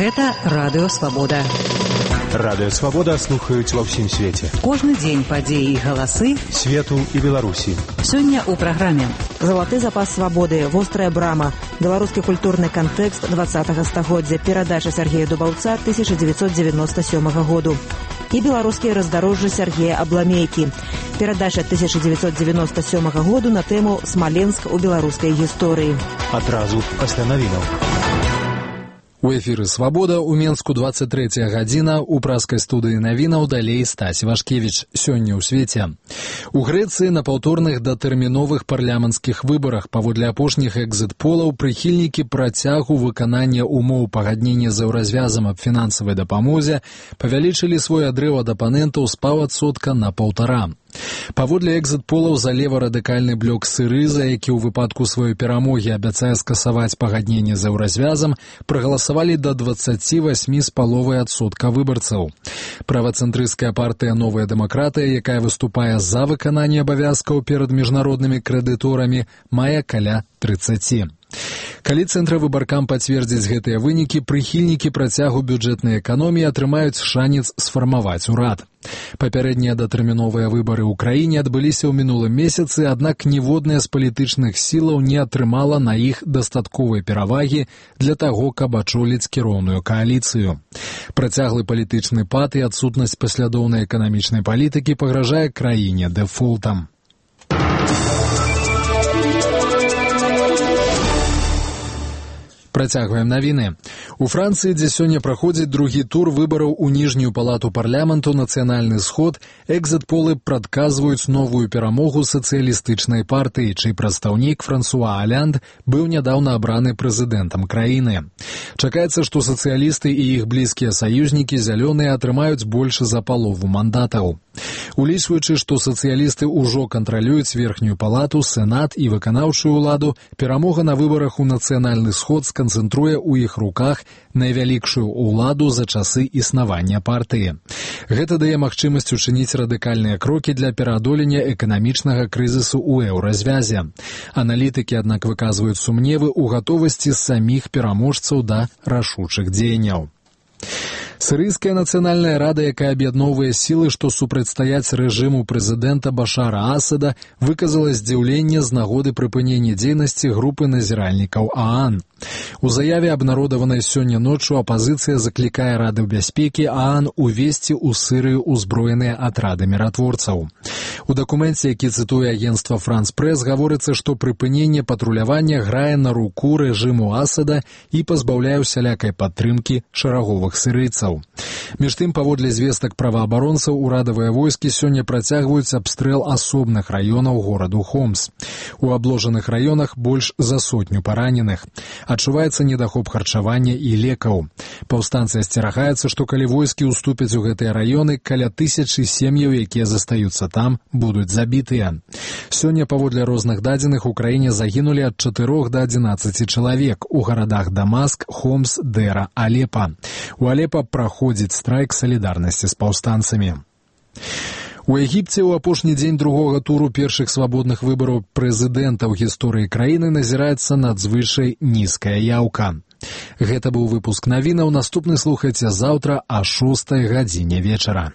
Гэта Радыё Свабода. Радыё Свабода слухаюць ва ўсім свеце. Кожны дзень падзеі і галасы свету і Беларусі. Сёння ў праграме «Залаты запас свабоды», «Вострая брама», беларускі культурны кантэкст 20-го стагоддзя, перадача Сергея Дубаўца 1997 году і беларускія раздарожжы Сергея Абламейкі. Перадача 1997 году на тэму «Смаленск у беларускай гісторыі». Адразу пасля навінаў. У эфіры «Свабода» у Менску 23 гадзіна, у праскай студыі навінаў далей Стась Вашкевіч. Сёння ў свеце. У Грэцыі на паўторных датэрміновых парламенцкіх выбарах паводле апошніх экзіт-полаў прыхільнікі працягу выканання умоў пагаднення з еўразвязам аб фінансавай дапамозе павялічылі свой адрыў ад апанентаў з паўадсотка на 1,5. Паводле экзіт-полаў за лева-радыкальны блок Сырыза, які ў выпадку сваёй перамогі абяцае скасаваць пагадненне з еўразвязам, прагаласавалі да 28,5% выбарцаў. Правацэнтрысцкая партыя «Новая дэмакратыя», якая выступае за выкананне абавязкаў перад міжнароднымі крэдыторамі, мае каля 30%. Калі цэнтравыбаркам пацвердзіць гэтыя вынікі, прыхільнікі працягу бюджэтнай эканоміі атрымаюць шанец сфармаваць урад. Папярэднія датэрміновыя выбары ў краіне адбыліся ў мінулым месяцы, аднак ніводная з палітычных сілаў не атрымала на іх дастатковай перавагі для таго, каб ачоліць кіроўную кааліцыю. Працяглы палітычны пад і адсутнасць паслядоўнай эканамічнай палітыкі пагражае краіне дэфолтам. Працягваем навіны. У Францыі, дзе сёння праходзіць другі тур выбараў у ніжнюю палату парламенту «Нацыянальны сход», экзіт-полы прадказваюць новую перамогу сацыялістычнай партыі, чый прадстаўнік Франсуа Алянд быў нядаўна абраны прэзідэнтам краіны. Чакаецца, што сацыялісты і іх блізкія саюзнікі зялёныя атрымаюць больш за палову мандатаў. Улічваючы, што сацыялісты ўжо кантралююць верхнюю палату, сенат і выканаўчую ўладу, перамога на выбарах у «Нацыянальны сход» сканцэнтруе ў іх руках найвялікшую ўладу за часы існавання партыі. Гэта дае магчымасць учыніць радыкальныя крокі для пераадолення эканамічнага крызісу ў еўразвязе. Аналітыкі, аднак, выказваюць сумневы ў гатовасці саміх пераможцаў да рашучых дзеянняў. Сірыйская нацыянальная рада, якая аб'ядноўвае сілы, што супрацьстаяць рэжыму прэзідэнта Башара Асада, выказала здзіўленне з нагоды прыпынення дзейнасці групы назіральнікаў ААН. У заяве, абнародаванай сёння ноччу, апазіцыя заклікае Рады бяспекі ААН увесці ў Сірыю ўзброеныя атрады міратворцаў. У дакуменце, які цытуе агенцтва «Франс Прэс», гаворыцца, што прыпыненне патрулявання грае на руку рэжыму Асада і пазбаўляе усялякай падтрымкі шараговых сірыйцаў. Між тым, паводле звестак праваабаронцаў, урадавыя войскі сёння працягваюць абстрэл асобных раёнаў гораду Хомс. У абложаных раёнах больш за 100 параненых. Адчуваецца недахоп харчавання і лекаў. Паўстанцы асцерагаюцца, што калі войскі ўступяць у гэтыя раёны, каля 1000 сем'яў, якія застаюцца там, будуць забітыя. Сёння, паводле розных дадзеных, у краіне загінулі ад 4 да 11 чалавек у гарадах Дамаск, Хомс, Дэра, Алепа. У Алепа праходзіць страйк салідарнасці з паўстанцамі. У Егіпце ў апошні дзень другога туру першых свабодных выбараў прэзідэнта ў гісторыі краіны назіраецца надзвычай нізкая яўка. Гэта быў выпуск навінаў. Наступны слухайце заўтра о 6 гадзіне вечара.